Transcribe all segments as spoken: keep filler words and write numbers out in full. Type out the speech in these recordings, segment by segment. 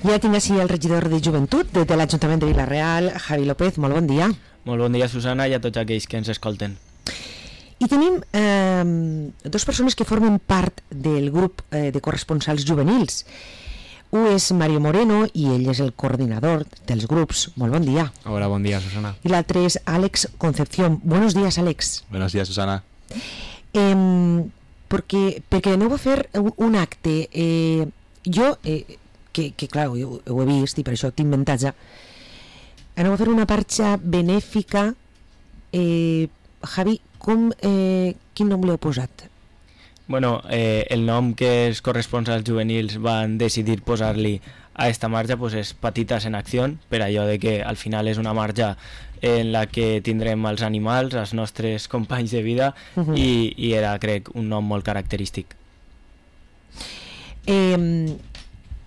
Ja tinc així el regidor de Joventut de, de l'Ajuntament de Vila-real, Javi López, molt bon dia. Molt bon dia, Susana, i a tots aquells que ens escolten. I tenim eh, dues persones que formen part del grup eh, de corresponsals juvenils. Un és Mario Moreno i ell és el coordinador dels grups. Molt bon dia. Hola, bon dia, Susana. I l'altre és Àlex Concepción. Buenos días, Àlex. Buenos días, Susana. Eh, perquè, perquè aneu a fer un, un acte. Eh, jo, eh, que, que clar, ho, ho he vist i per això tinc avantatge, aneu a fer una marxa benèfica. Eh, Javi, com, eh, quin nom li heu posat? Bueno, eh, el nom que els corresponsals juvenils van decidir posar-li a esta marxa pues és Patitas en Acció, per allò de que al final és una marxa en la que tindrem els animals, els nostres companys de vida, uh-huh. i, i era, crec, un nom molt característic. Eh,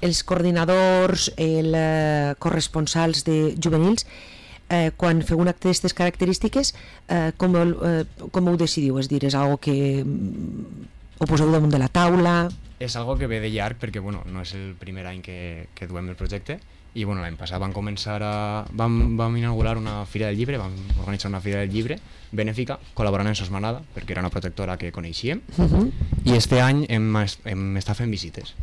els coordinadors, els eh, corresponsals de juvenils, Eh, quan feu un acte d'aquestes característiques, eh, com, eh, com ho decidiu? És dir, és algo que ho poseu damunt de la taula? És algo que ve de llarg perquè bueno, no és el primer any que, que duem el projecte i bueno, l'any passat vam començar a... Vam, vam inaugurar una fira del llibre, vam organitzar una fira del llibre benèfica col·laborant amb Sos Manada perquè era una protectora que coneixíem, uh-huh. i este any hem, hem estat fent visites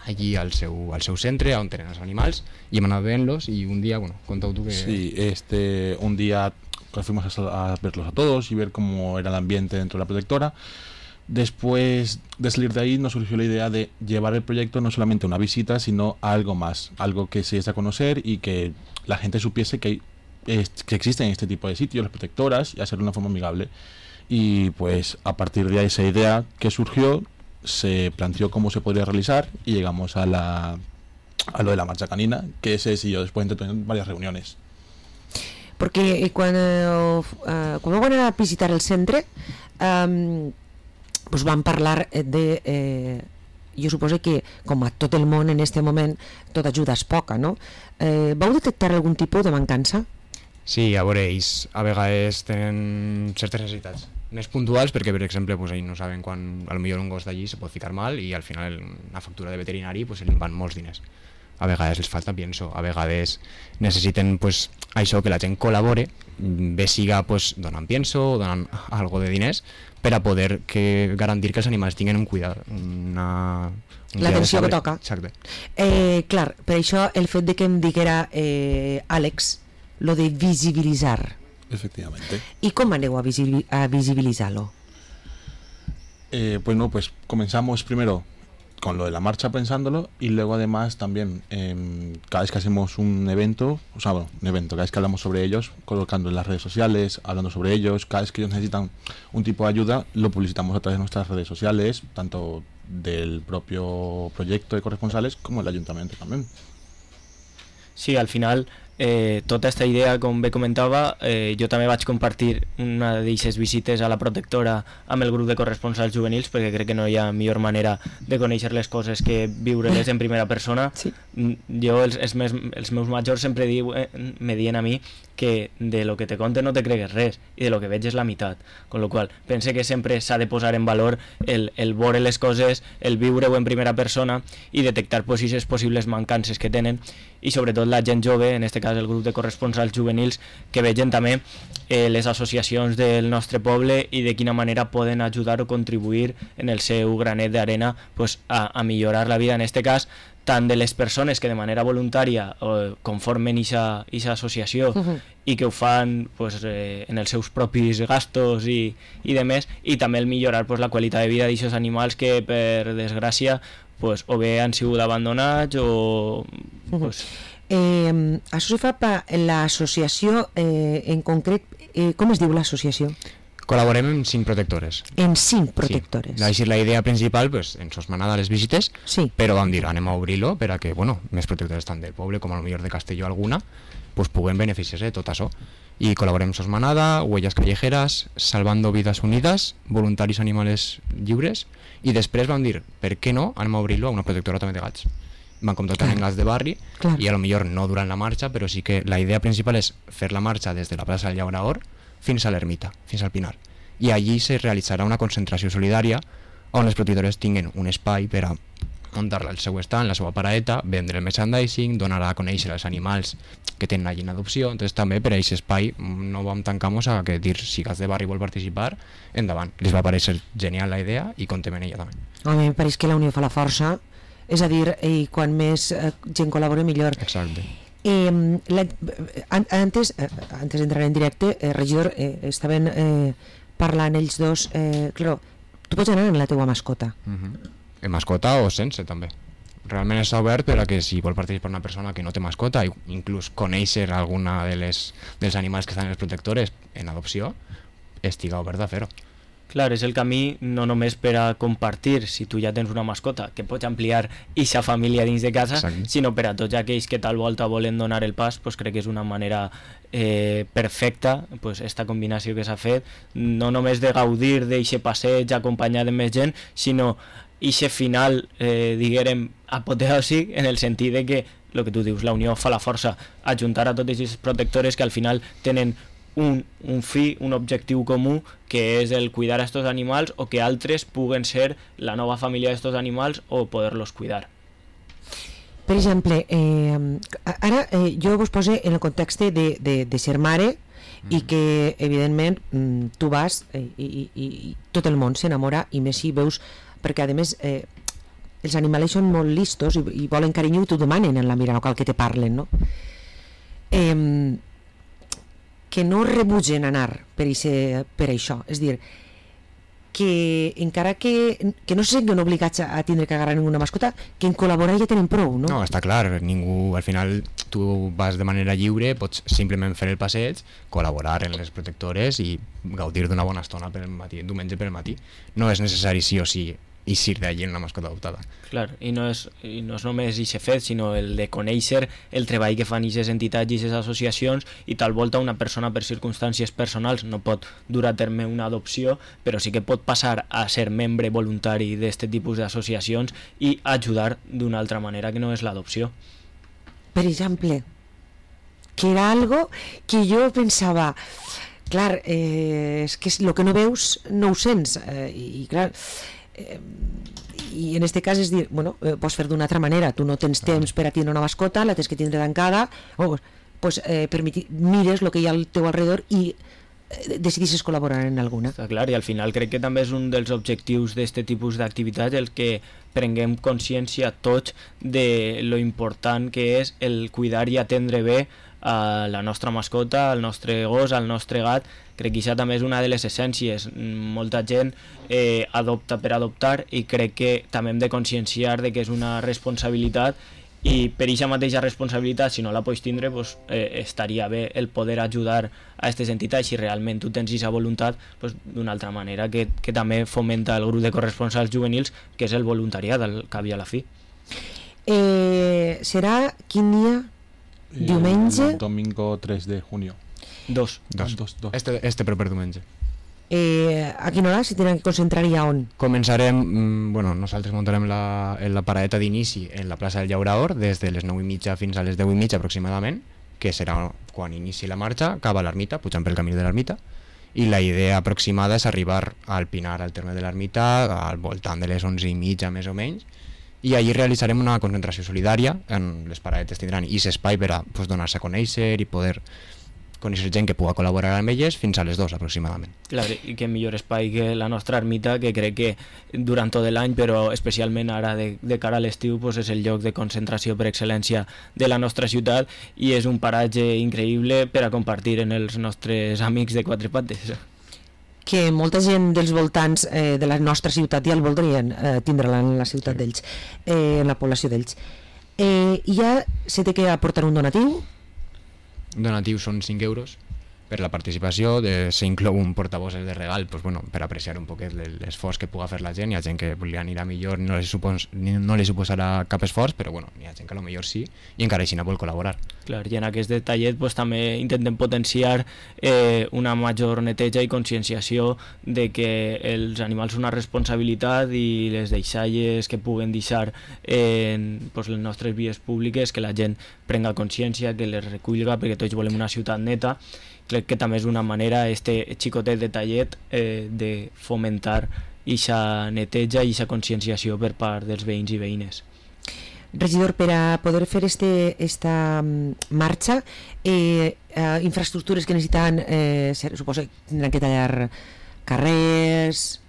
allí al seu, al seu centre on tenen els animals y hem anat veient-los y un día, bueno, contau tú que... Sí, este, un día fuimos a, a verlos a todos y ver cómo era el ambiente dentro de la protectora. Después de salir de ahí nos surgió la idea de llevar el proyecto no solamente a una visita, sino a algo más, algo que se diese a conocer y que la gente supiese que, hay, que existen este tipo de sitios, las protectoras, y hacerlo de una forma amigable. Y pues a partir de esa idea que surgió, se planteó cómo se podría realizar y llegamos a la a lo de la marcha canina, que ese sí yo después entré en varias reuniones. Perquè quan, uh, quan vam anar a visitar el centre um, pues vam parlar de eh, jo suposo que com a tot el món en este moment tota ajuda és poca, no? Eh, vau detectar algun tipus de mancança? Sí, a veure, ells a vegades tenen certes necessitats més puntuals perquè, per exemple, pues, ells no saben quan a lo millor un gos d'allí se pot ficar mal i al final una factura de veterinari pues, els van molts diners. A vegades els falta pienso, a vegades necessiten pues, això, que la gent col·labore, bé siga pues, donant pienso o donant algo de diners per a poder que garantir que els animals tinguin un cuidado, una... Un l'atenció que toca. Exacte. Eh, clar, per això el fet de que em diguera eh, Àlex, lo de visibilitzar. Efectivamente. ¿Y cómo aneu a, visibil a visibilizarlo? Eh, pues no, pues comenzamos primero con lo de la marcha pensándolo y luego además también eh, cada vez que hacemos un evento, o sea, bueno, un evento, cada vez que hablamos sobre ellos, colocando en las redes sociales, hablando sobre ellos, cada vez que ellos necesitan un tipo de ayuda, lo publicitamos a través de nuestras redes sociales, tanto del propio proyecto de corresponsales como el ayuntamiento también. Sí, al final... Eh, tota aquesta idea, com bé comentava, eh, jo també vaig compartir una d'aquestes visites a la protectora amb el grup de corresponsals juvenils perquè crec que no hi ha millor manera de conèixer les coses que viure-les en primera persona. Sí. Jo, els, els, meus, els meus majors sempre diu, eh, me diuen a mi que de lo que te conte no te cregues res i de lo que veig és la meitat, con lo qual pense que sempre s'ha de posar en valor el, el veure les coses, el viure-ho en primera persona i detectar pues, aquestes possibles mancances que tenen i sobretot la gent jove, en aquest cas el grup de corresponsals juvenils, que vegen també eh, les associacions del nostre poble i de quina manera poden ajudar o contribuir en el seu granet d'arena pues, a, a millorar la vida, en aquest cas tant de les persones que de manera voluntària eh, conformen aquesta associació uh-huh. i que ho fan pues, eh, en els seus propis gastos i, i de més, i també el millorar pues, la qualitat de vida d'aquests animals que per desgràcia pues, o bé han sigut abandonats o... Pues... Uh-huh. Eh, això se fa per l'associació eh, en concret, eh, com es diu l'associació? Col·laborem en cinc protectores. En cinc protectores. Sí. La, la idea principal, pues, en Sos Manada les visites, sí. Però vam dir, anem a obrir-lo per a que, bueno, més protectores tant del poble com a lo millor de Castelló alguna, pues puguen beneficiar-se de tot això. I col·laborem amb Sos Manada, Huellas Callejeras, Salvando Vidas Unidas, Voluntaris Animales Lliures, i després vam dir, per què no, anem a obrir-lo a una protectora també de gats. Van contactar amb gats de barri, clar. I a lo millor no durant la marxa, però sí que la idea principal és fer la marxa des de la plaça del Llaurador fins a l'Ermita, fins al Pinar. I allí se realitzarà una concentració solidària on les protectores tinguen un espai per a muntar-la al seu estant, la seva paraeta, vendre el merchandising, donar a conèixer els animals que tenen allí en adopció. Entonces també per a aquest espai no vam tancar-nos a que dir si Gats de Barri vol participar, endavant. Les va parèixer genial la idea i contem en ella també. A mi em pareix que la unió fa la força, és a dir, i quan més eh, gent col·labora millor. Exacte. Eh, la, an, antes, eh, antes d'entrar en directe, eh, regidor, eh, estaven eh, parlant ells dos, eh, claro, tu pots anar amb la teua mascota. Uh-huh. En mascota o sense també. Realment està obert per a que si vol participar una persona que no té mascota, inclús conèixer alguna de les, dels animals que estan en les protectores en adopció, estiga obert a fer-ho. Clar, és el camí no només per a compartir si tu ja tens una mascota, que pots ampliar eixa família dins de casa, Exacte. sinó per a tots aquells que tal volta volen donar el pas, pues crec que és una manera eh, perfecta, pues, esta combinació que s'ha fet, no només de gaudir d'eixe passeig acompanyat de més gent, sinó eixe final, eh, diguérem, apoteòsic, en el sentit de que, el que tu dius, la unió fa la força, ajuntar a totes aquestes protectores que al final tenen Un, un fi, un objectiu comú, que és el cuidar a estos animals o que altres puguen ser la nova família d'estos animals o poder-los cuidar. Per exemple, eh, ara eh, jo vos poso en el context de, de, de ser mare mm. i que evidentment tu vas eh, i, i, i tot el món s'enamora, i més si veus, perquè a més eh, els animals són molt listos i, i volen carinyo i t'ho demanen en la mirada, no cal que te parlen, no? Eh, que no rebutgen anar per, ixe, per això, és dir, que encara que, que no se senten obligats a, a tindre que agarrar ninguna mascota, que en col·laborar ja tenen prou, no? No, està clar, ningú, al final tu vas de manera lliure, pots simplement fer el passeig, col·laborar en les protectores i gaudir d'una bona estona per el matí, diumenge per el matí. No és necessari sí o sí eixir d'allí en una mascota adoptada. Clar, i no és, i no és només aquest fet, sinó el de conèixer el treball que fan aquestes entitats i aquestes associacions, i tal volta una persona per circumstàncies personals no pot dur a terme una adopció, però sí que pot passar a ser membre voluntari d'aquest tipus d'associacions i ajudar d'una altra manera que no és l'adopció. Per exemple, que era algo que jo pensava, clar, eh, és que el que no veus no ho sents, eh, i clar, Eh, i en este cas és dir, bueno, eh, pots fer d'una altra manera, tu no tens temps per a tindre una mascota, la tens que tindre tancada, oh, pues, eh, permiti, mires el que hi ha al teu alrededor i eh, decidisses col·laborar en alguna. Està clar, i al final crec que també és un dels objectius d'aquest tipus d'activitat el que prenguem consciència tots de lo important que és el cuidar i atendre bé a la nostra mascota, al nostre gos, al nostre gat. Crec que això també és una de les essències. Molta gent eh, adopta per adoptar i crec que també hem de conscienciar de que és una responsabilitat, i per aquesta mateixa responsabilitat, si no la pots tindre, pues, eh, estaria bé el poder ajudar a aquestes entitats si realment tu tens aquesta voluntat, pues, d'una altra manera que, que també fomenta el grup de corresponsals juvenils, que és el voluntariat al cap i a la fi. Eh, serà quin dia? Diumenge? El domingo tres de junio. Dos. Dos. Dos, dos. Este, este proper diumenge. Eh, a quina hora s'hi tenen que concentrar i a on? Començarem, mm, bueno, nosaltres muntarem la, la paradeta d'inici en la plaça del Llaurador des de les nou i mitja fins a les deu i mitja aproximadament, que serà quan inici la marxa cap a l'ermita, pujant pel camí de l'ermita, i la idea aproximada és arribar al Pinar, al terme de l'ermita, al voltant de les onze i mitja més o menys, i allí realitzarem una concentració solidària. En les paradetes tindran i espai per a pues, donar-se a conèixer i poder conèixer gent que pugui col·laborar amb elles fins a les dues aproximadament. Clar, i que millor espai que la nostra ermita, que crec que durant tot l'any, però especialment ara de, de cara a l'estiu, pues és el lloc de concentració per excel·lència de la nostra ciutat, i és un paratge increïble per a compartir en els nostres amics de quatre pates. Que molta gent dels voltants eh, de la nostra ciutat ja el voldrien eh, tindre-la en la ciutat sí. d'ells, eh, en la població d'ells. Eh, I ja se té que aportar un donatiu? Donatiu són cinc euros per la participació, de, s'inclou un portabosses de regal, pues, bueno, per apreciar un poquet l'esforç que puga fer la gent. Hi ha gent que li anirà millor, no li, supos, no li suposarà cap esforç, però bueno, hi ha gent que a lo millor sí, i encara així no vol col·laborar. Clar, i en aquest detallet pues, també intentem potenciar eh, una major neteja i conscienciació de que els animals són una responsabilitat, i les deixalles que puguen deixar en pues, les nostres vies públiques, que la gent prenga consciència, que les recullga, perquè tots volem una ciutat neta. Crec que també és una manera, este xicotet detallet, eh, de fomentar ixa neteja i ixa conscienciació per part dels veïns i veïnes. Regidor, per a poder fer este, esta marxa, eh, eh, infraestructures que necessiten, eh, suposo que tindran que tallar carrers...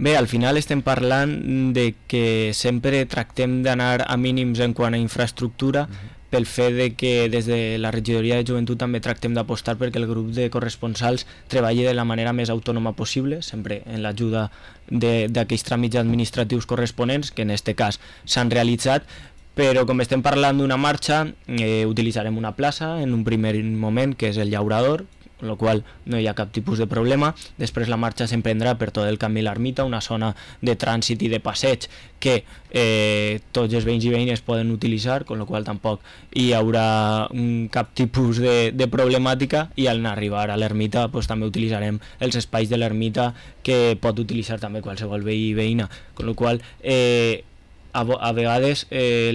Bé, al final estem parlant de que sempre tractem d'anar a mínims en quant a infraestructura, uh-huh. pel fet de que des de la regidoria de joventut també tractem d'apostar perquè el grup de corresponsals treballi de la manera més autònoma possible, sempre en l'ajuda d'aquells tràmits administratius corresponents, que en aquest cas s'han realitzat, però com estem parlant d'una marxa, eh, utilitzarem una plaça en un primer moment, que és el Llaurador, amb la qual no hi ha cap tipus de problema. Després la marxa s'emprendrà per tot el camí l'Ermita, una zona de trànsit i de passeig que eh, tots els veïns i veïnes poden utilitzar, amb la qual tampoc hi haurà un, cap tipus de, de problemàtica, i al arribar a l'Ermita pues, també utilitzarem els espais de l'Ermita que pot utilitzar també qualsevol veí i veïna, amb la qual eh, a, a vegades eh,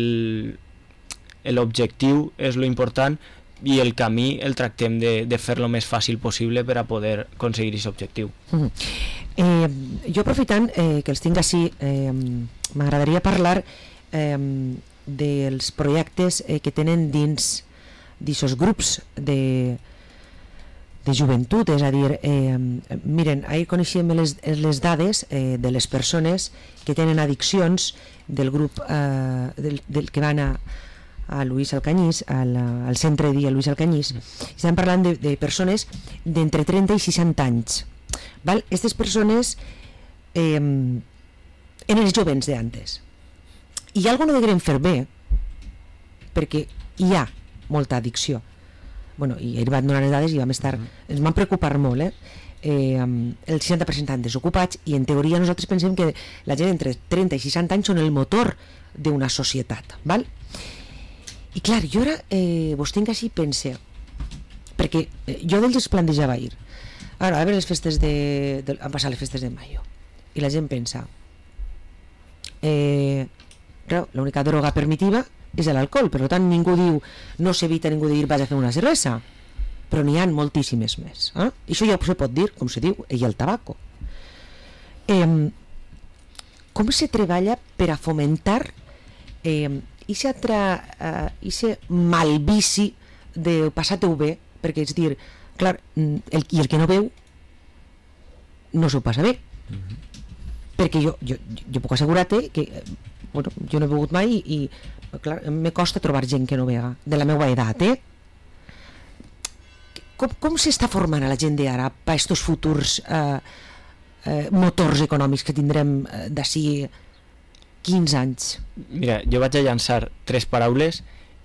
l'objectiu és lo important i el camí el tractem de, de fer-lo més fàcil possible per a poder aconseguir aquest objectiu. Mm. Eh, jo aprofitant eh, que els tinc així, eh, m'agradaria parlar eh, dels projectes eh, que tenen dins d'aquests grups de, de joventut, és a dir, eh, miren, ahir coneixíem les, les dades eh, de les persones que tenen addiccions del grup eh, del, del que van a a Luis Alcañís, al, al centre de dia Luis Alcañís, estem parlant de, de persones d'entre trenta i seixanta anys. Val? Aquestes persones eh, eren els jovens d'antes. I hi ha alguna que no deguem fer bé, perquè hi ha molta addicció. Bueno, i ahir van donar les dades i vam estar, ens van preocupar molt, eh? Eh, el seixanta per cent estan desocupats, i en teoria nosaltres pensem que la gent entre trenta i seixanta anys són el motor d'una societat. Val? I clar, jo ara eh, vos tinc així pense, perquè eh, jo d'ells es plantejava ahir, ara a veure les festes de, de han passat les festes de maio i la gent pensa eh, clar, l'única droga permitiva és l'alcohol, per tant ningú diu, no s'evita ningú de dir vaig a fer una cervesa, però n'hi ha moltíssimes més, eh? I això ja se pot dir, com se diu, i el tabaco. Eh, com se treballa per a fomentar eh, Ixe uh, malvici de passar-te-ho bé, perquè és dir, clar, el, i el que no veu no s'ho passa bé. Mm-hmm. Perquè jo, jo, jo puc assegurar-te que bueno, jo no he begut mai i, i clar, me costa trobar gent que no vega, de la meva edat, eh? Com, com s'està formant a la gent d'ara per aquests futurs eh, eh, motors econòmics que tindrem eh, d'ací quinze anys? Mira, jo vaig a llançar tres paraules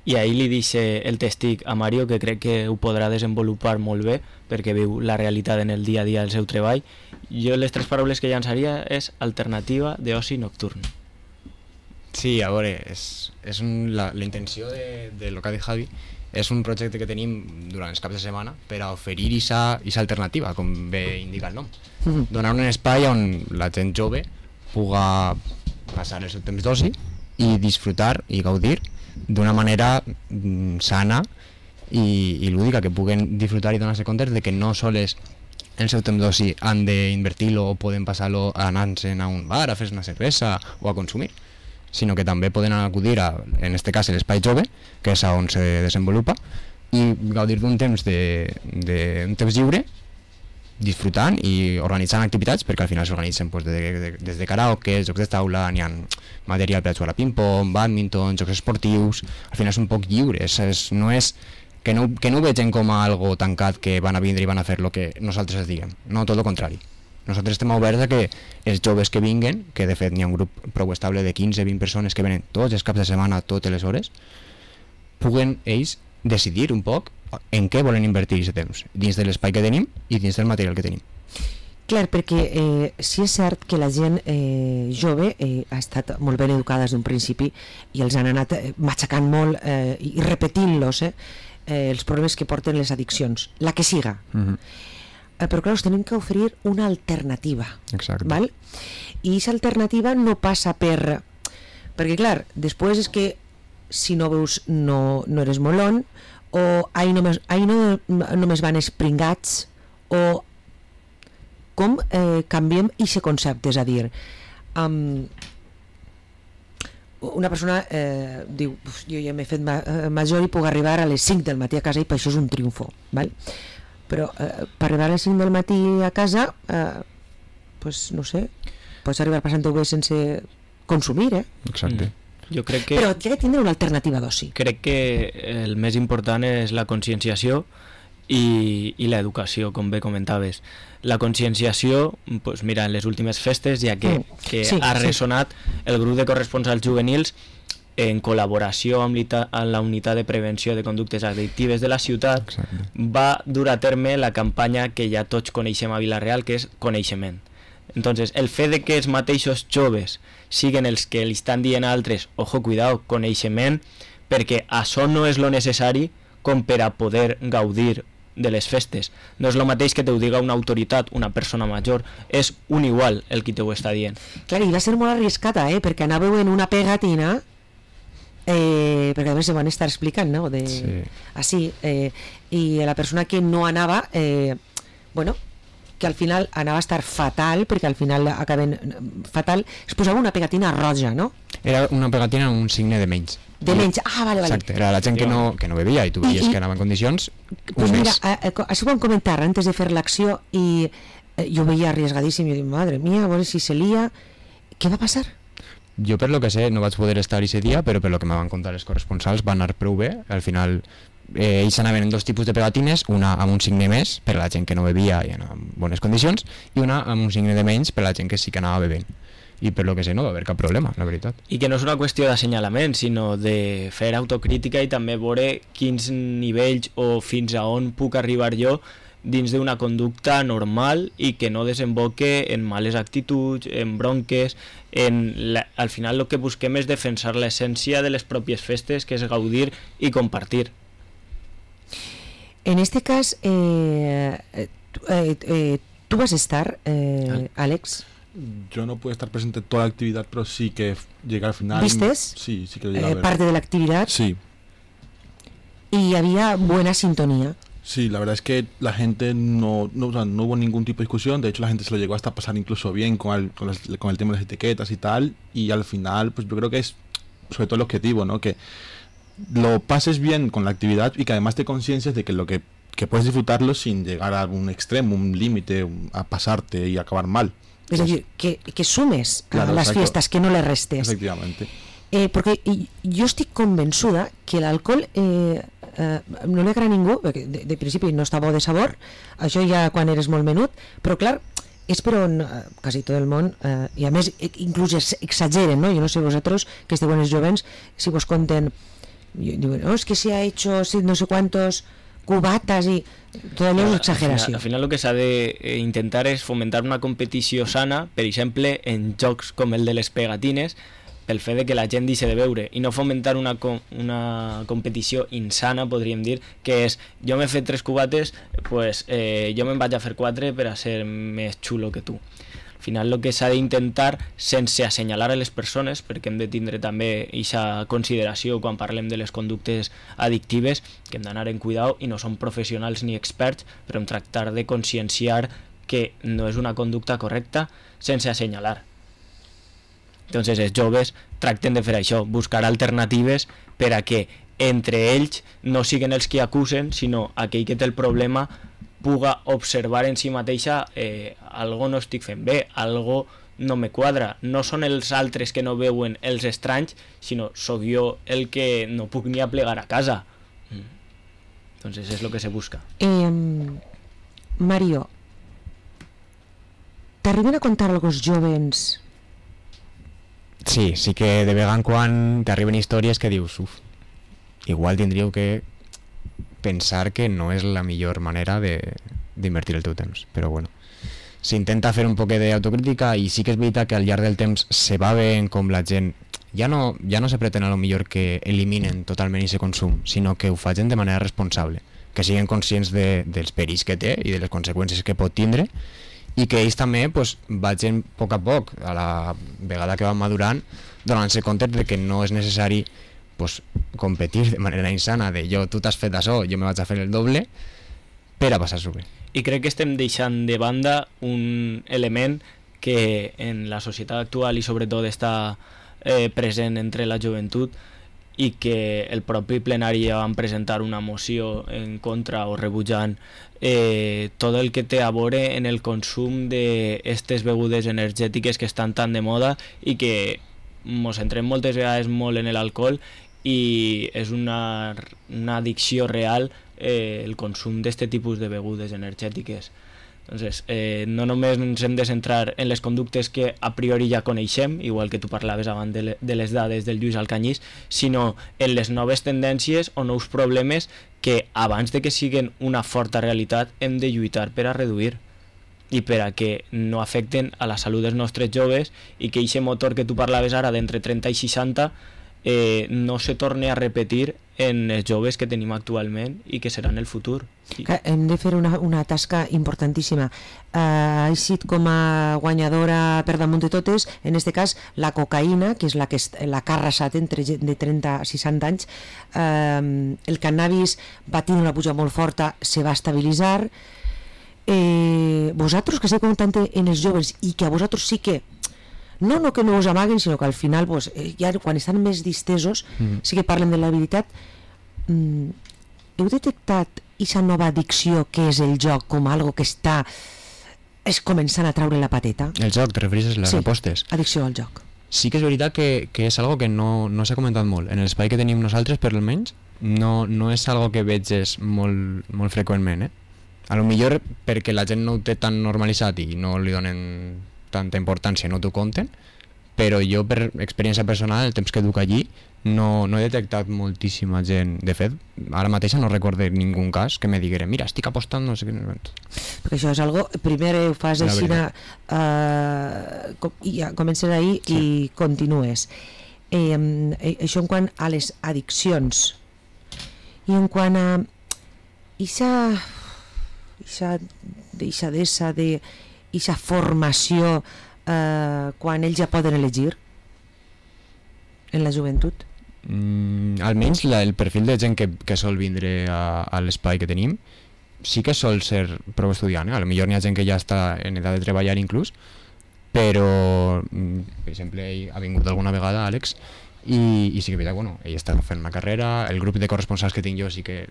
i ahir li dice el testic a Mario, que crec que ho podrà desenvolupar molt bé perquè viu la realitat en el dia a dia del seu treball. Jo les tres paraules que llançaria és alternativa d'oci nocturn. Sí, a veure, és, és un, la, la intenció de, de lo que ha dit Javi és un projecte que tenim durant els caps de setmana per a oferir aquesta alternativa, com bé indica el nom. Mm-hmm. Donar un espai on la gent jove puga passar el seu temps d'oci i disfrutar i gaudir d'una manera mm, sana i, i lúdica, que puguen disfrutar i donar-se compte de que no sols el seu temps d'oci han d'invertir-lo o poden passar-lo anant-se'n a un bar a fer una cervesa o a consumir, sinó que també poden acudir a, en este cas, l'espai jove, que és on se desenvolupa, i gaudir d'un temps de, de, un temps lliure, disfrutant i organitzant activitats, perquè al final s'organitzen pues, de, de, des de karaoke, jocs de taula, n'hi ha material per a jugar a ping-pong, badminton, jocs esportius, al final és un poc lliure, és, és, no és que no, que no ho vegin com a algo tancat que van a vindre i van a fer el que nosaltres els diguem, no, tot el contrari. Nosaltres estem oberts a que els joves que vinguen, que de fet n'hi ha un grup prou estable de quinze a vint persones que venen tots els caps de setmana, totes les hores, puguen ells decidir un poc en què volen invertir aquest temps, dins de l'espai que tenim i dins del material que tenim. Clar, perquè eh, sí és cert que la gent eh, jove eh, ha estat molt ben educada des d'un principi i els han anat eh, matxacant molt eh, i repetint-los eh, eh, els problemes que porten les addiccions, la que siga. Mm-hmm. eh, però clar, us tenim que oferir una alternativa. Exacte. Val? I aquesta alternativa no passa per... perquè clar, després és que si no veus no, no eres molón, o ahí només, ahí no, només van espringats, o com eh, canviem aquest concepte, és a dir, um, una persona eh, diu, jo ja m'he fet ma major i puc arribar a les cinc del matí a casa i per això és un triomfo, val? Però eh, per arribar a les cinc del matí a casa eh, pues no sé, pots arribar passant-ho bé sense consumir, eh? Exacte. Mm. Jo crec que... Però hi ha de tindre una alternativa d'oci. Crec que el més important és la conscienciació i, i l'educació, com bé comentaves. La conscienciació, pues mira, en les últimes festes, ja que, mm. que sí, ha sí. ressonat el grup de corresponsals juvenils en col·laboració amb, amb la unitat de prevenció de conductes addictives de la ciutat. Exacte. Va dur a terme la campanya que ja tots coneixem a Vila-real, que és coneixement. Entonces, el fet de que els mateixos joves siguen els que li estan dient a altres, ojo, cuidado, coneixement, perquè això no és lo necessari com per a poder gaudir de les festes. No és el mateix que te ho diga una autoritat, una persona major, és un igual el qui te ho està dient. Clar, i va ser molt arriscada, eh? Perquè anàveu en una pegatina, eh, perquè a més se van estar explicant, no? De, sí. Així, eh, i la persona que no anava, eh, bueno, que al final anava a estar fatal, perquè al final acaben fatal, es posava una pegatina roja, no? Era una pegatina amb un signe de menys. De menys, ah, vale, vale. Exacte, era la gent que no, que no bevia i tu veies I, que anava en condicions pues un mira, mes. Eh, això ho vam comentar antes de fer l'acció i eh, jo veia arriesgadíssim i jo dic, madre mía, a veure si se lia. Què va passar? Jo per lo que sé no vaig poder estar ese dia, però per lo que me van contar els corresponsals va anar prou bé. Al final eh, ells anaven en dos tipus de pegatines, una amb un signe més per a la gent que no bevia i en bones condicions i una amb un signe de menys per a la gent que sí que anava bevent. I per lo que sé no va haver cap problema, la veritat. I que no és una qüestió d'assenyalament, sinó de fer autocrítica i també veure quins nivells o fins a on puc arribar jo dins d'una conducta normal i que no desemboque en males actituds, en bronques, en la, al final el que busquem és defensar l'essència de les pròpies festes, que és gaudir i compartir. En este cas, eh, eh, eh, tu vas estar, eh, Àlex? Yo no pude estar presente en toda la actividad, pero sí que llegué al final. ¿Vistes? Sí, sí que llegué a Eh, ver. parte de la actividad. Sí. Y había buena sintonía. Sí, la verdad es que la gente no, no, o sea, no hubo ningún tipo de discusión. De hecho, la gente se lo llegó hasta a pasar incluso bien con el, con, el, con el tema de las etiquetas y tal. Y al final, pues yo creo que es sobre todo el objetivo, ¿no? Que lo pases bien con la actividad y que además te conciencias de que lo que, que puedes disfrutarlo sin llegar a un extremo, un límite, a pasarte y acabar mal. Es decir, que, que sumes claro, a las exacto. fiestas, que no le restes. Efectivamente. Eh, perquè jo estic convençuda que l'alcohol eh, eh, no li agrada a ningú, perquè de, de principi no està bo de sabor, això ja quan eres molt menut, però clar, és per on eh, quasi tot el món, eh, i a més inclús exageren, no? Jo no sé vosaltres, que esteu en els jovens, si vos conten, diuen, no, es que se ha hecho no sé cuántos cubatas i tot allò és exageració. Al final el que s'ha d'intentar és fomentar una competició sana, per exemple, en jocs com el de les pegatines, pel fet de que la gent deixi de beure, i no fomentar una, una competició insana, podríem dir, que és, jo m'he fet tres cubates, pues, eh, jo me'n vaig a fer quatre per a ser més xulo que tu. Al final el que s'ha d'intentar, sense assenyalar a les persones, perquè hem de tindre també aquesta consideració quan parlem de les conductes addictives, que hem d'anar en cuidado i no som professionals ni experts, però hem tractar de conscienciar que no és una conducta correcta sense assenyalar. Entonces els joves tracten de fer això, buscar alternatives per a que entre ells no siguin els que acusen, sinó aquell que té el problema puga observar en si mateixa eh, algo no estic fent bé, algo no me quadra. No són els altres que no veuen els estranys, sinó sóc jo el que no puc ni aplegar a casa. Mm. Entonces és el que se busca. Eh, Mario, t'arriben a contar alguns jovens? Sí, sí que de vegada en quan t'arriben històries que dius, uf, igual tindríeu que pensar que no és la millor manera d'invertir el teu temps, però bueno, s'intenta fer un poc d'autocrítica i sí que és veritat que al llarg del temps se va veient com la gent ja no, ja no se pretén a lo millor que eliminen totalment aquest consum, sinó que ho facin de manera responsable, que siguin conscients de, dels perills que té i de les conseqüències que pot tindre, i que ells també pues, vagin a poc a poc, a la vegada que van madurant, donant-se compte de que no és necessari pues, competir de manera insana, de jo, tu t'has fet això, jo me vaig a fer el doble, per a passar-s'ho bé. I crec que estem deixant de banda un element que en la societat actual i sobretot està eh, present entre la joventut, i que el propi plenari ja van presentar una moció en contra o rebutjant eh, tot el que té a veure en el consum d'aquestes begudes energètiques que estan tan de moda i que ens centrem moltes vegades molt en l'alcohol i és una, una addicció real eh, el consum d'aquest tipus de begudes energètiques. Entonces, eh, no només ens hem de centrar en les conductes que a priori ja coneixem, igual que tu parlaves abans de, le, de les dades del Lluís Alcanyís, sinó en les noves tendències o nous problemes que abans de que siguin una forta realitat hem de lluitar per a reduir i per a que no afecten a la salut dels nostres joves i que aquest motor que tu parlaves ara d'entre trenta i seixanta eh, no se torni a repetir en els joves que tenim actualment i que seran el futur. Sí. Hem de fer una, una tasca importantíssima. Uh, ha eixit com a guanyadora per damunt de totes, en aquest cas la cocaïna, que és la que, la que ha arrasat entre de trenta a seixanta anys. Uh, el cannabis va tenir una puja molt forta, se va estabilitzar. Eh, vosaltres que esteu comptant en els joves i que a vosaltres sí que no, no que no us amaguen, sinó que al final pues, ja quan estan més distesos mm. sí que parlen de la veritat. Mm, heu detectat aquesta nova addicció que és el joc com algo que està és començant a traure la pateta? El joc, te refereixes a les sí, apostes? Addicció al joc. Sí que és veritat que, que és algo que no, no s'ha comentat molt. En l'espai que tenim nosaltres, per almenys, no, no és algo que veges molt, molt freqüentment. Eh? A lo millor perquè la gent no ho té tan normalitzat i no li donen tanta importància, no t'ho compten, però jo per experiència personal, el temps que duc allí, no, no he detectat moltíssima gent. De fet, ara mateix no recordo ningú cas que me diguera, mira, estic apostant, no sé què. Perquè això és algo, primer ho fas així, uh, com, i ja comences ahir sí. i continues. Eh, eh, això en quant a les addiccions. I en quant a ixa, ixa deixadesa de ixa formació eh, quan ells ja poden elegir en la joventut? Mm, almenys la, el perfil de gent que, que sol vindre a, a l'espai que tenim sí que sol ser prou estudiant, eh? A lo millor n'hi ha gent que ja està en edat de treballar inclús, però per exemple ell ha vingut alguna vegada, Àlex, i, i sí que és veritat, bueno, ell està fent una carrera, el grup de corresponsals que tinc jo sí que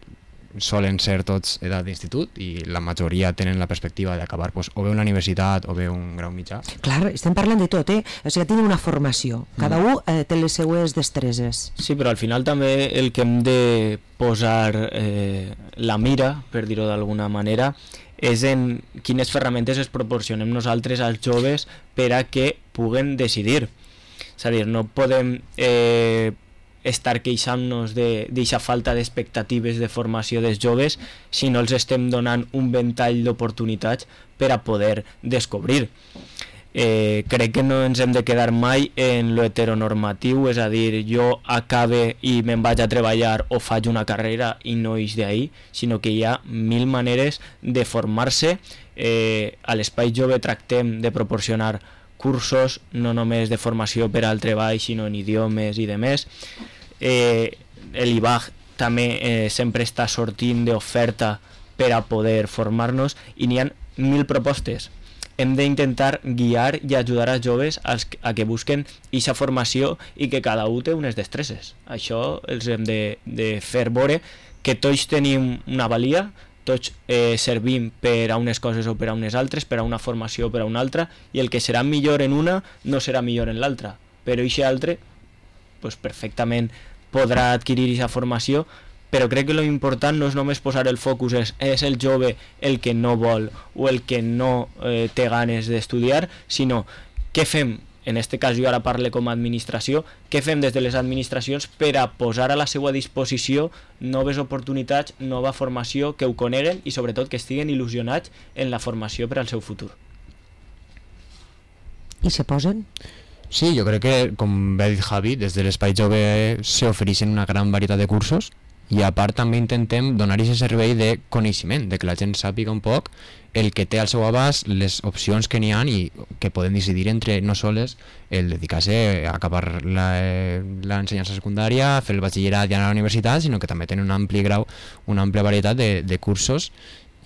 solen ser tots edat d'institut i la majoria tenen la perspectiva d'acabar pues, o bé una universitat o bé un grau mitjà. Clar, estem parlant de tot, eh? O sigui, tenen una formació, cada mm. un eh, té les seues destreses. Sí, però al final també el que hem de posar eh, la mira, per dir-ho d'alguna manera, és en quines ferramentes es proporcionem nosaltres als joves per a que puguen decidir. És a dir, no podem eh, estar queixant-nos d'aquesta falta d'expectatives de formació dels joves si no els estem donant un ventall d'oportunitats per a poder descobrir. Eh, crec que no ens hem de quedar mai en lo heteronormatiu, és a dir, jo acabe i me'n vaig a treballar o faig una carrera i no ix d'ahir, sinó que hi ha mil maneres de formar-se. Eh, a l'Espai Jove tractem de proporcionar cursos no només de formació per al treball sinó en idiomes i demés. Eh, el I B A G també eh, sempre està sortint d'oferta per a poder formar-nos i n'hi ha mil propostes. Hem d'intentar guiar i ajudar als joves als, a que busquen aquesta formació i que cada un té unes destreses. Això els hem de, de fer veure que tots tenim una valia, tots eh, servim per a unes coses o per a unes altres, per a una formació o per a una altra, i el que serà millor en una no serà millor en l'altra, però aquest altre pues, perfectament podrà adquirir aquesta formació, però crec que l'important no és només posar el focus, és, és el jove el que no vol o el que no eh, té ganes d'estudiar, sinó què fem, en aquest cas jo ara parlo com a administració, què fem des de les administracions per a posar a la seva disposició noves oportunitats, nova formació, que ho coneguen i sobretot que estiguen il·lusionats en la formació per al seu futur. I se posen? Sí, jo crec que, com bé ha dit Javi, des de l'Espai Jove s'ofereixen una gran varietat de cursos i a part també intentem donar aquest servei de coneixement, de que la gent sàpiga un poc el que té al seu abast, les opcions que n'hi ha i que poden decidir entre no sols el dedicar-se a acabar l'ensenyança secundària, fer el batxillerat i anar a la universitat, sinó que també tenen un ampli grau, una àmplia varietat de, de cursos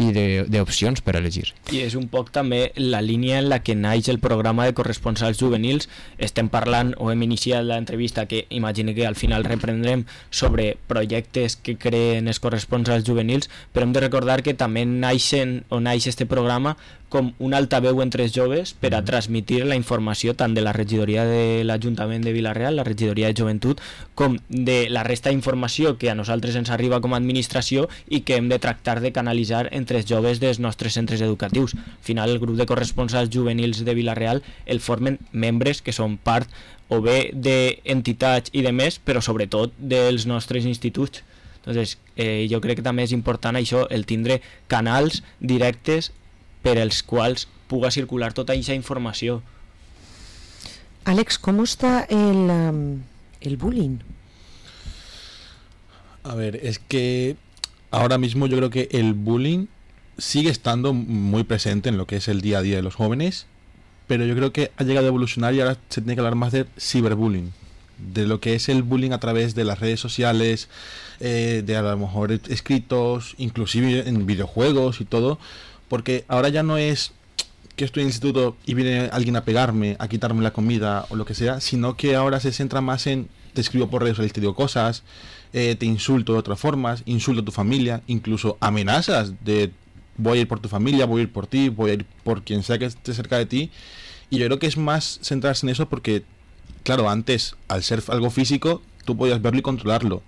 i d'opcions per elegir. I és un poc també la línia en la que naix el programa de corresponsals juvenils. Estem parlant, o hem iniciat l'entrevista, que imagino que al final reprendrem, sobre projectes que creen els corresponsals juvenils, però hem de recordar que també naixen, o naix este programa com un altaveu entre els joves per a transmitir la informació tant de la regidoria de l'Ajuntament de Vila-real, la regidoria de joventut, com de la resta d'informació que a nosaltres ens arriba com a administració i que hem de tractar de canalitzar entre els joves dels nostres centres educatius. Al final, el grup de corresponsals juvenils de Vila-real el formen membres que són part o bé d'entitats i de més, però sobretot dels nostres instituts. Entonces, eh, jo crec que també és important això, el tindre canals directes per els quals puga circular tota aquesta informació. Àlex, com està el, um, el bullying? A ver, es que ahora mismo yo creo que el bullying sigue estando muy presente en lo que es el día a día de los jóvenes, pero yo creo que ha llegado a evolucionar y ahora se tiene que hablar más de ciberbullying, de lo que es el bullying a través de las redes sociales, eh, de a lo mejor escritos, inclusive en videojuegos y todo, porque ahora ya no es que estoy en el instituto y viene alguien a pegarme, a quitarme la comida o lo que sea, sino que ahora se centra más en te escribo por redes sociales, te digo cosas, eh, te insulto de otras formas, insulto a tu familia, incluso amenazas de voy a ir por tu familia, voy a ir por ti, voy a ir por quien sea que esté cerca de ti. Y yo creo que es más centrarse en eso porque, claro, antes, al ser algo físico, tú podías verlo y controlarlo.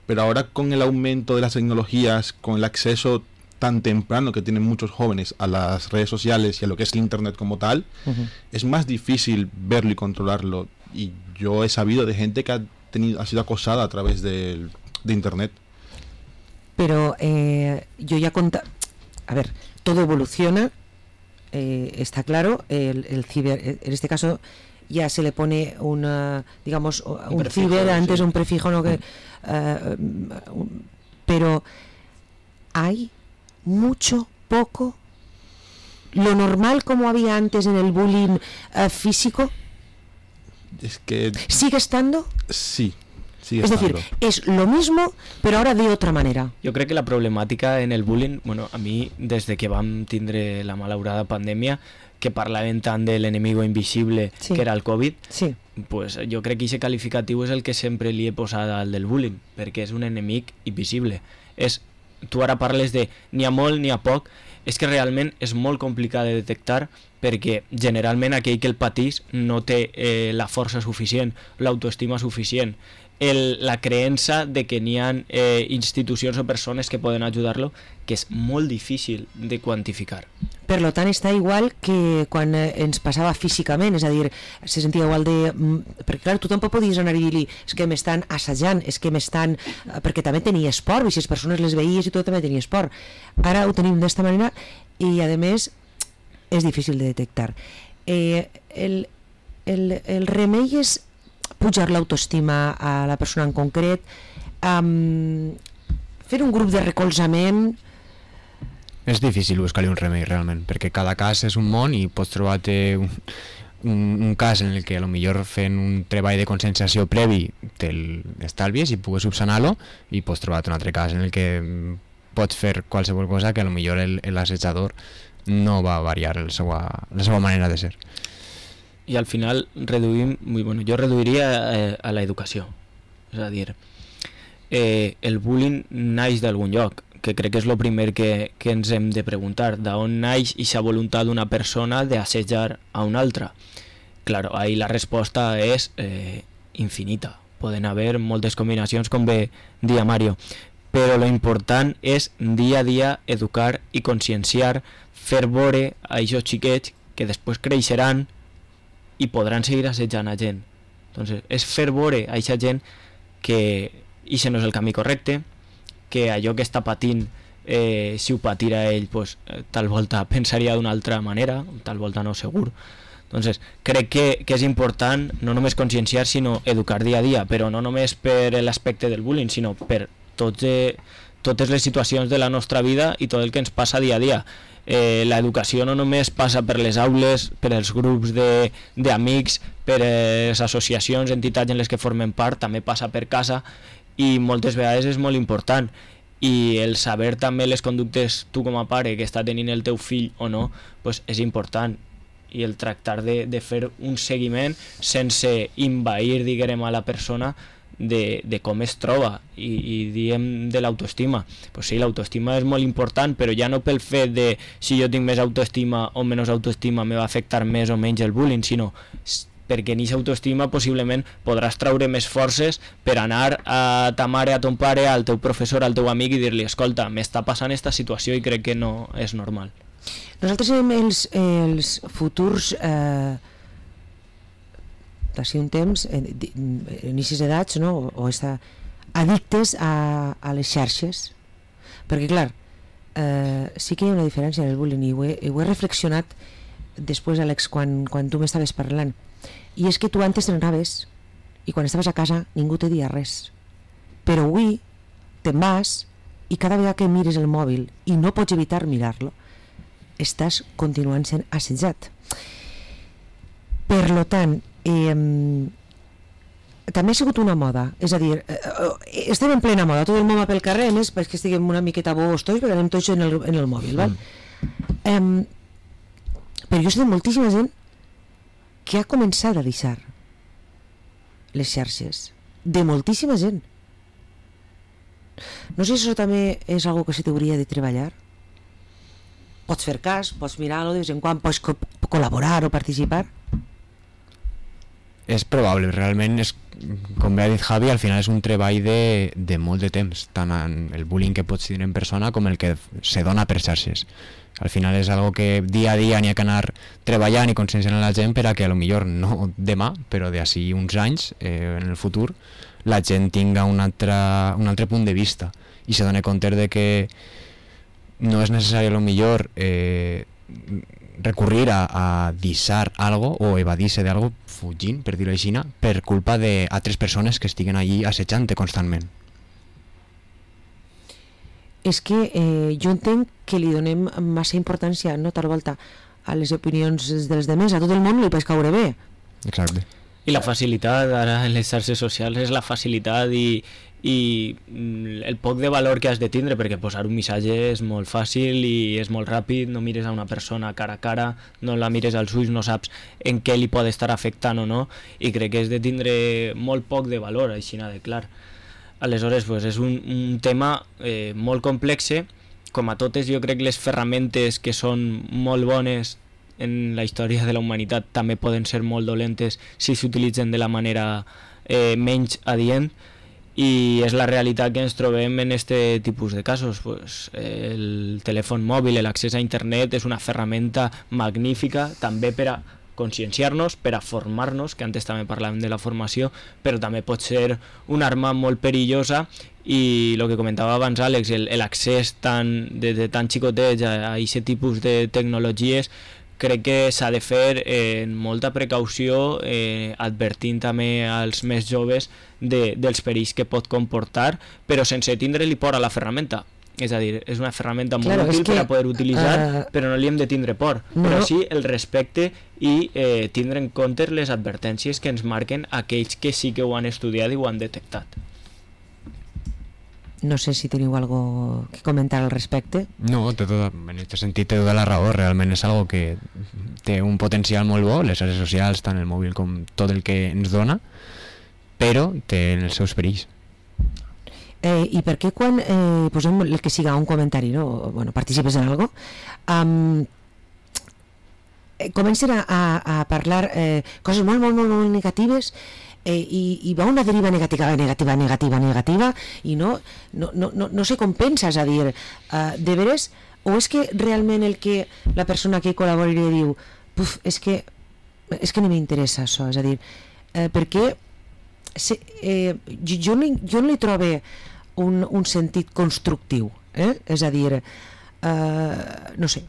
Pero ahora con el aumento de las tecnologías, con el acceso tan temprano que tienen muchos jóvenes a las redes sociales y a lo que es el internet como tal, uh-huh. es más difícil verlo y controlarlo. Y yo he sabido de gente que ha tenido ha sido acosada a través de, de internet. Pero eh, yo ya conta... A ver, todo evoluciona, eh, está claro, el, el ciber, en este caso ya se le pone una, digamos, un, un prefijo, ciber, antes sí. un prefijo, no que, uh, un, pero hay mucho, poco, lo normal como había antes en el bullying uh, físico. Es que ¿sigue estando? Sí. Sigue es estando. decir, es lo mismo, pero ahora de otra manera. Jo crec que la problemàtica en el bullying, bueno, a mi, des de que vam tindre la malaurada pandèmia, que parlaven tant de l'enemigo invisible, sí. que era el Covid, sí. pues jo crec que aquest qualificatiu és el que sempre li he posat al del bullying, perquè és un enemic invisible. És, tu ara parles de ni a molt ni a poc, és que realment és molt complicat de detectar perquè generalment aquell que el patís no té eh, la força suficient, l'autoestima suficient, el, la creença de que n'hi ha eh, institucions o persones que poden ajudar-lo, que és molt difícil de quantificar. Per tant, està igual que quan ens passava físicament, és a dir, se sentia igual de... Perquè, clar, tu tampoc podies anar i dir-li és que m'estan assajant, és que m'estan... Perquè també tenia esport, i si les persones les veies i tot també tenia esport. Ara ho tenim d'esta manera i, a més, és difícil de detectar. Eh, el, el, el remei és pujar l'autoestima a la persona en concret, um, fer un grup de recolzament... És difícil buscar-li un remei realment, perquè cada cas és un món i pots trobar-te un, un, un cas en el que potser fent un treball de conscienciació previ te'l estalvies i pugues subsanar-lo, i pots trobar-te un altre cas en el que pots fer qualsevol cosa que potser l'assetjador no va variar la seva, la seva manera de ser. I al final reduïm, bueno, jo reduiria eh, a l'educació, és a dir, eh, el bullying naix d'algun lloc, que crec que és el primer que, que ens hem de preguntar, d'on naix aquesta voluntat d'una persona d'assetjar a una altra. Claro, ahí la resposta és eh, infinita, poden haver moltes combinacions, com bé dia Mario, però lo important és dia a dia educar i conscienciar, fer veure a aquests xiquets que després creixeran i podran seguir assetjant a gent. Entonces, és fer veure a aquesta gent que això no és el camí correcte, que allò que està patint, eh, si ho patira ell, pues, tal volta pensaria d'una altra manera, tal volta no segur. Entonces, crec que, que és important no només conscienciar, sinó educar dia a dia, però no només per l'aspecte del bullying, sinó per tots, eh, totes les situacions de la nostra vida i tot el que ens passa dia a dia. Eh, l'educació no només passa per les aules, per els grups d'amics, per les associacions, entitats en les que formen part, també passa per casa, i moltes vegades és molt important. i el saber també les conductes tu com a pare que està tenint el teu fill o no, pues és important, i el tractar de, de fer un seguiment sense invair, diguem, a la persona de, de com es troba, i, i diem de l'autoestima. Pues sí, l'autoestima és molt important, però ja no pel fet de si jo tinc més autoestima o menys autoestima me va afectar més o menys el bullying, sinó perquè en aquesta autoestima possiblement podràs traure més forces per anar a ta mare, a ton pare, al teu professor, al teu amic i dir-li, escolta, m'està passant aquesta situació i crec que no és normal. Nosaltres som els, els futurs eh, d'ací un temps en aquestes edats, no? o estar addictes a, a les xarxes, perquè clar eh, sí que hi ha una diferència en el bullying, i ho he, ho he reflexionat després, Àlex, quan, quan tu m'estaves parlant, i és que tu antes t'anaves i quan estaves a casa ningú te dia res, però avui te'n vas i cada vegada que mires el mòbil i no pots evitar mirar-lo estàs continuant sent assetjat. Per lo tant, eh, també ha sigut una moda, és a dir, eh, estem en plena moda, tot el món va pel carrer, a més perquè estiguem una miqueta bobos tots, perquè anem tots en el, en el mòbil, val? Mm. Eh, però jo sé de moltíssima gent que ha començat a deixar les xarxes, de moltíssima gent. No sé si això també és algo que se t'hauria de treballar. Pots fer cas, pots mirar-lo de vez en quan, pots co col·laborar o participar. És probable, realment és, com bé ha dit Javi, al final és un treball de, de molt de temps, tant en el bullying que pots tenir en persona com el que se dona per xarxes. Al final és algo que dia a dia n'hi ha que anar treballant i conscienciant a la gent per a que a lo millor no demà, però d'ací uns anys, eh, en el futur, la gent tinga un altre, un altre punt de vista i se doni compte de que no és necessari a lo millor eh, recurrir a, a deixar algo o evadir-se d'algo fugint, per dir-ho així, per culpa d'altres persones que estiguen allí assetjant-te constantment. És que eh, jo entenc que li donem massa importància, no tal volta, a les opinions dels demés, a tot el món li pot caure bé. Exacte. I la facilitat ara en les xarxes socials és la facilitat i, i el poc de valor que has de tindre, perquè posar un missatge és molt fàcil i és molt ràpid, no mires a una persona cara a cara, no la mires als ulls, no saps en què li pot estar afectant o no, i crec que és de tindre molt poc de valor, així de clar. Aleshores, pues, és un, un tema eh, molt complex. Com a totes, jo crec que les ferramentes que són molt bones en la història de la humanitat també poden ser molt dolentes si s'utilitzen de la manera eh, menys adient, i és la realitat que ens trobem en este tipus de casos. Pues, el telèfon mòbil, l'accés a internet és una ferramenta magnífica també per a conscienciar-nos, per a formar-nos, que antes també parlàvem de la formació, però també pot ser una arma molt perillosa, i el que comentava abans Àlex, l'accés tan, de, de tan xicotets a aquest tipus de tecnologies, crec que s'ha de fer eh, amb molta precaució, eh, advertint també als més joves de, dels perills que pot comportar, però sense tindre-li por a la ferramenta. És a dir, és una ferramenta molt claro, útil que, per a poder utilitzar, uh, però no li hem de tindre por, no, però sí el respecte i eh, tindre en compte les advertències que ens marquen aquells que sí que ho han estudiat i ho han detectat. No sé si teniu algo que comentar al respecte. No, té tota, en aquest sentit té tota la raó, realment és algo que té un potencial molt bo, les xarxes socials, tant el mòbil com tot el que ens dona, però té els seus perills. Eh, I per què quan eh, posem el que siga un comentari, no? O, bueno, participes en algo, um, eh, comencen a, a, a parlar eh, coses molt, molt, molt, molt negatives, eh, i, i va una deriva negativa, negativa, negativa, negativa, i no, no, no, no, no sé com penses, a dir, uh, de veres, o és que realment el que la persona que col·labora diu, puf, és que, és que no m'interessa això, és a dir, eh, perquè se, eh, jo, jo, no, jo no li trobo un, un sentit constructiu, eh? És a dir, eh, no sé,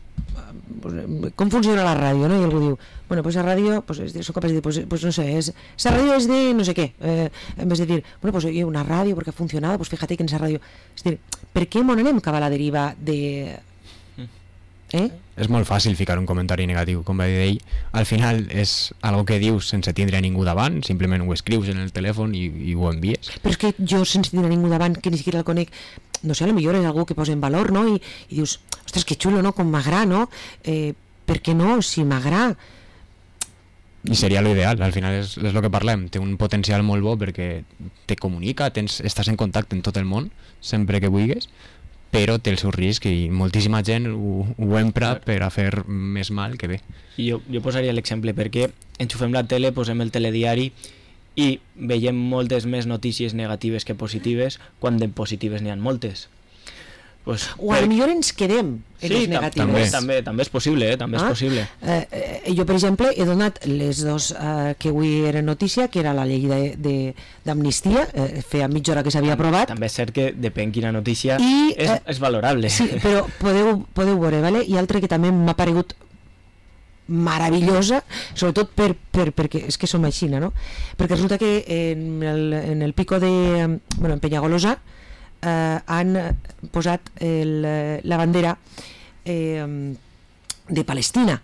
com funciona la ràdio, no? I algú diu, bueno, pues la ràdio, pues, soc capaç de dir, pues, pues no sé, es, esa ràdio és de no sé què, eh, en vez de dir, bueno, pues oye, una ràdio perquè ha funcionado, pues fíjate que en esa ràdio, és dir, per què m'on anem cap a la deriva de Eh? És molt fàcil ficar un comentari negatiu, com va dir ell. Al final és algo que dius sense tindre a ningú davant, simplement ho escrius en el telèfon i, i ho envies. Però és que jo, sense tindre ningú davant, que ni siquiera el conec, no sé, a lo millor és algú que posa en valor, no? I, i dius, ostres, que xulo, no? Com m'agrada, no? Eh, per què no? Si m'agrada... I seria l'ideal, al final és, és el que parlem, té un potencial molt bo perquè te comunica, tens, estàs en contacte en tot el món, sempre que vulguis, però té el seu risc i moltíssima gent ho, ho empra per a fer més mal que bé. I jo, jo posaria l'exemple perquè enxufem la tele, posem el telediari i veiem moltes més notícies negatives que positives quan de positives n'hi ha moltes. Pues, o a per... lo millor ens quedem en sí, les negatives. També, també, també és possible, eh? també ah? és possible. Eh, eh, jo, per exemple, he donat les dos eh, que avui eren notícia, que era la llei d'amnistia, eh, feia mitja hora que s'havia aprovat. També és cert que depèn quina notícia, I, és, eh, és valorable. Sí, però podeu, podeu veure, vale? I altra que també m'ha paregut meravellosa, sobretot per, per, perquè és que som així, no? Perquè resulta que en el, en el pico de... bueno, en Penyagolosa eh, han posat el, la bandera eh, de Palestina,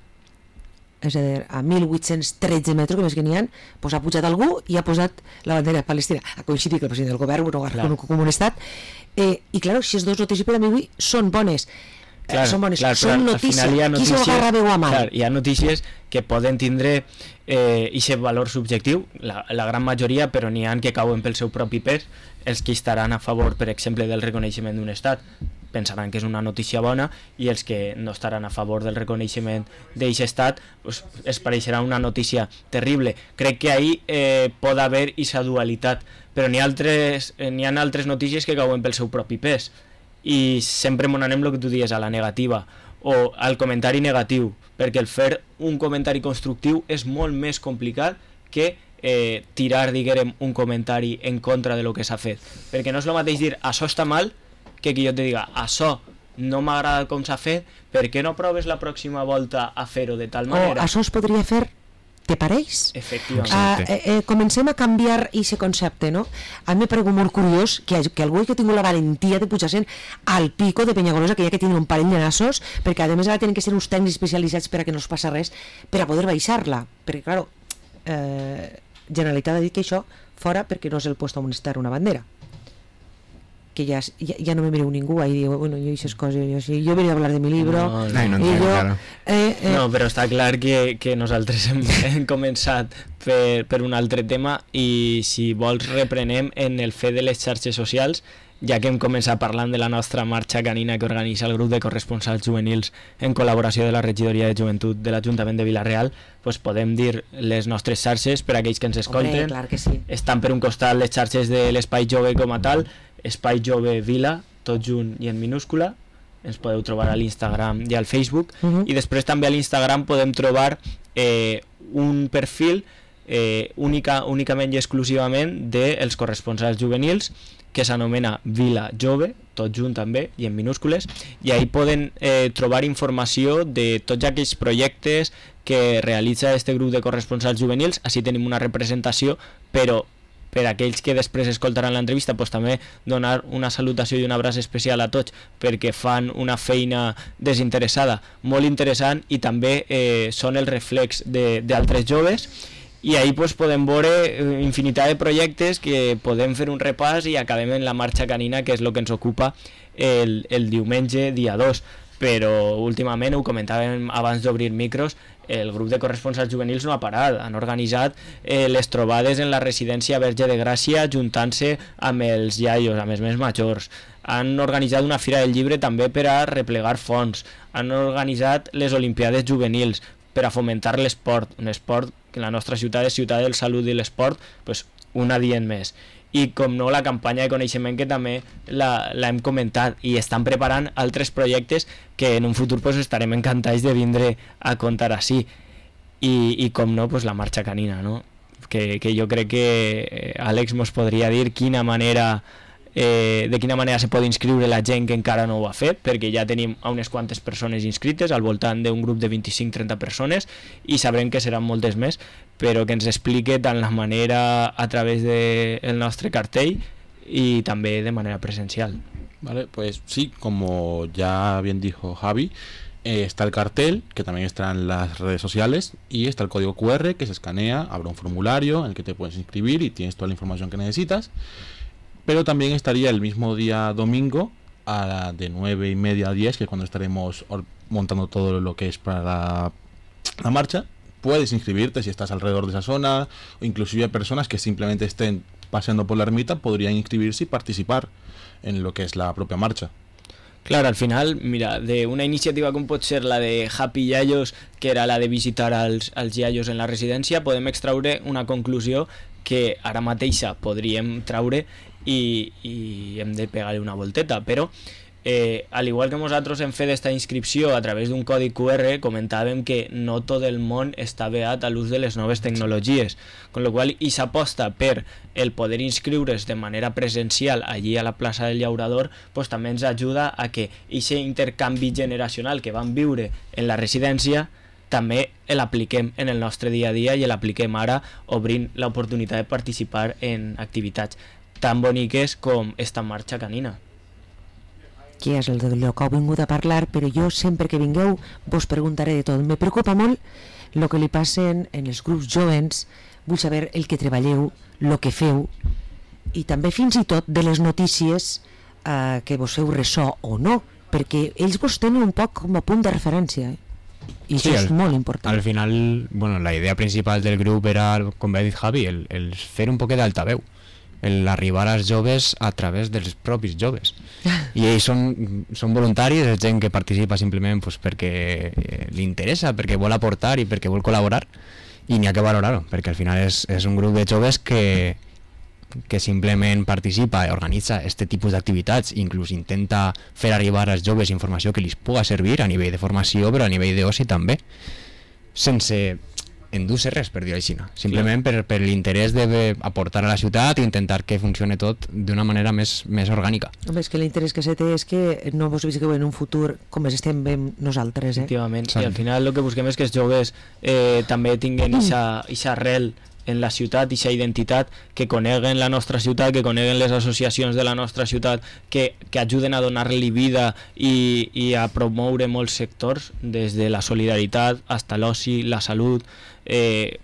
és a dir, a mil vuit-cents tretze metres, que més que n'hi ha, pues ha pujat algú i ha posat la bandera de Palestina. Ha coincidit que el president del govern no ha com un estat. Eh, I, clar, si els dos notícies per a mi avui són bones. Clar, eh, són bones, clar, són notícies. Qui s'ho agarra veu a mà? Clar, hi ha notícies que poden tindre eh, aquest valor subjectiu, la, la gran majoria, però n'hi ha que cauen pel seu propi pes. Els que estaran a favor, per exemple, del reconeixement d'un estat pensaran que és una notícia bona, i els que no estaran a favor del reconeixement d'aquest estat pues, es pareixerà una notícia terrible. Crec que ahí eh, pot haver aquesta dualitat, però n'hi ha altres, eh, n'hi ha altres notícies que cauen pel seu propi pes, i sempre m'on anem el que tu dius, a la negativa o al comentari negatiu, perquè el fer un comentari constructiu és molt més complicat que eh, tirar, diguem, un comentari en contra de lo que s'ha fet, perquè no és el mateix dir això està mal que que jo te diga això no m'agrada com s'ha fet, per què no proves la pròxima volta a fer-ho de tal manera? O això es podria fer, te pareix? Efectivament. Uh, eh, eh, comencem a canviar aquest concepte, no? A mi m'ha paregut molt curiós que, que algú que ha tingut la valentia de pujar-se al pico de Penyagolosa, que hi ha que tenir un parell de nassos, perquè a més ara tenen que ser uns tècnics especialitzats per a que no es passa res, per a poder baixar-la, perquè, clar, eh, Generalitat ha dit que això fora perquè no és el puesto on estar una bandera, que ja, ja, ja no me mireu ningú ahí digo, bueno, yo hice cosas, yo, sí, yo venía a hablar de mi libro no, no, no, no, i jo, claro. eh, eh, no, però està clar que, que nosaltres hem, hem començat per, per un altre tema, i si vols reprenem en el fet de les xarxes socials, ja que hem començat parlant de la nostra marxa canina que organitza el grup de corresponsals juvenils en col·laboració de la regidoria de joventut de l'Ajuntament de Vila-real, pues podem dir les nostres xarxes per a aquells que ens escolten. Hombre, clar que sí. Estan per un costat les xarxes de l'Espai Jove com a tal, Espai Jove Vila, tot junt i en minúscula, ens podeu trobar a l'Instagram i al Facebook, uh -huh. i després també a l'Instagram podem trobar eh, un perfil eh, única, únicament i exclusivament dels corresponsals juvenils, que s'anomena Vila Jove, tot junt també, i en minúscules, i ahí poden eh, trobar informació de tots aquells projectes que realitza este grup de corresponsals juvenils. Així tenim una representació, però per a aquells que després escoltaran l'entrevista, pues, també donar una salutació i un abraç especial a tots, perquè fan una feina desinteressada molt interessant, i també eh, són el reflex d'altres joves. I ahí pues, podem veure infinitat de projectes que podem fer un repàs i acabem en la marxa canina, que és el que ens ocupa el, el diumenge dia dos. Però últimament, ho comentàvem abans d'obrir micros, el grup de corresponsals juvenils no ha parat, han organitzat eh, les trobades en la residència Verge de Gràcia juntant-se amb els iaios, amb els més majors, han organitzat una fira del llibre també per a replegar fons, han organitzat les olimpiades juvenils per a fomentar l'esport, un esport que la nostra ciutat és ciutat del salut i l'esport, pues, un adient més. I com no, la campanya de coneixement, que també l'hem comentat, i estan preparant altres projectes que en un futur pues, estarem encantats de vindre a contar així. I, i com no, pues, la marxa canina, no? que, que jo crec que Àlex mos podria dir quina manera eh, de quina manera se pot inscriure la gent que encara no ho ha fet, perquè ja tenim unes quantes persones inscrites, al voltant d'un grup de vint-i-cinc a trenta persones, i sabrem que seran moltes més, però que ens explique tant la manera a través del de nostre cartell y también de manera presencial. Vale, pues sí, como ya bien dijo Javi, eh, está el cartel, que también está en las redes sociales, y está el código cu erre que se escanea, habrá un formulario en el que te puedes inscribir y tienes toda la información que necesitas. Pero también estaría el mismo día domingo, a la de nueve y media a diez, que es cuando estaremos montando todo lo que es para la, la marcha. Puedes inscribirte si estás alrededor de esa zona, o inclusive personas que simplemente estén paseando por la ermita podrían inscribirse y participar en lo que es la propia marcha. Claro, al final, mira, de una iniciativa com pot ser la de Happy Yayos, que era la de visitar als, als iaios en la residència, podem extraure una conclusió que ara mateixa podríem traure i, i hem de pegar-li una volteta, però eh, al igual que nosaltres hem fet esta inscripció a través d'un codi cu erre, comentàvem que no tot el món està beat a l'ús de les noves tecnologies, con lo qual i s'aposta per el poder inscriure's de manera presencial allí a la plaça del Llaurador, pues també ens ajuda a que aquest intercanvi generacional que vam viure en la residència també l'apliquem en el nostre dia a dia i l'apliquem ara obrint l'oportunitat de participar en activitats tan boniques com esta marxa canina. Que és el de lo que heu vingut a parlar, però jo sempre que vingueu vos preguntaré de tot. Me preocupa molt el que li passen en els grups jovens, vull saber el que treballeu, el que feu, i també fins i tot de les notícies eh, que vos feu ressò o no, perquè ells vos tenen un poc com a punt de referència, eh? I sí, això és al, molt important. Al final, bueno, la idea principal del grup era, com bé ha dit Javi, el, el fer un poquet d'altaveu, el arribar als joves a través dels propis joves. I ells són, són voluntaris, és gent que participa simplement pues, perquè eh, li interessa, perquè vol aportar i perquè vol col·laborar, i n'hi ha que valorar-ho, perquè al final és, és un grup de joves que, que simplement participa i organitza aquest tipus d'activitats, inclús intenta fer arribar als joves informació que li puga servir a nivell de formació, però a nivell d'oci també, sense endur-se res, per dir-ho així, simplement per, per l'interès d'aportar a la ciutat i intentar que funcione tot d'una manera més, més orgànica. Home, és que l'interès que se té és que no vos visqueu en un futur com es estem ben nosaltres, eh? Efectivament, i al final el que busquem és que els joves eh, també tinguin aquesta arrel en la ciutat, aquesta identitat, que coneguen la nostra ciutat, que coneguen les associacions de la nostra ciutat, que, que ajuden a donar-li vida i, i a promoure molts sectors, des de la solidaritat fins a l'oci, la salut, eh,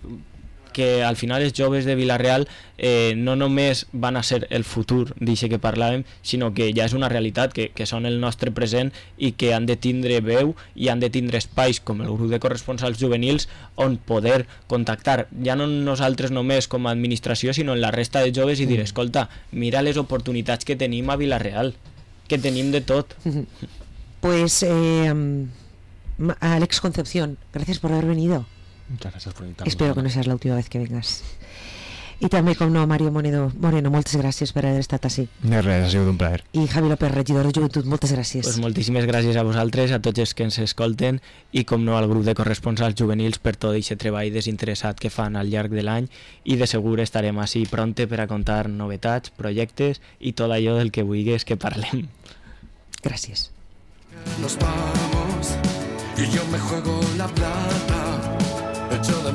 que al final els joves de Vila-real eh, no només van a ser el futur d'això que parlàvem, sinó que ja és una realitat, que, que són el nostre present i que han de tindre veu i han de tindre espais com el grup de corresponsals juvenils on poder contactar, ja no nosaltres només com a administració, sinó en la resta de joves i dir, escolta, mira les oportunitats que tenim a Vila-real, que tenim de tot. Pues eh, Alex Concepción, gracias por haber venido. Muchas gracias por invitarme. Espero que no seas la última vez que vengas. I també, com no, Mario Moreno, Moreno, moltes gràcies per haver estat així. De res, ha sigut un plaer. I Javi López, regidor de Joventut, moltes gràcies. Pues moltíssimes gràcies a vosaltres, a tots els que ens escolten i, com no, al grup de corresponsals juvenils per tot aquest treball desinteressat que fan al llarg de l'any, i de segur estarem així pronte per a contar novetats, projectes i tot allò del que vulguis que parlem. Gràcies. Nos vamos y yo me juego la plata. Hecho de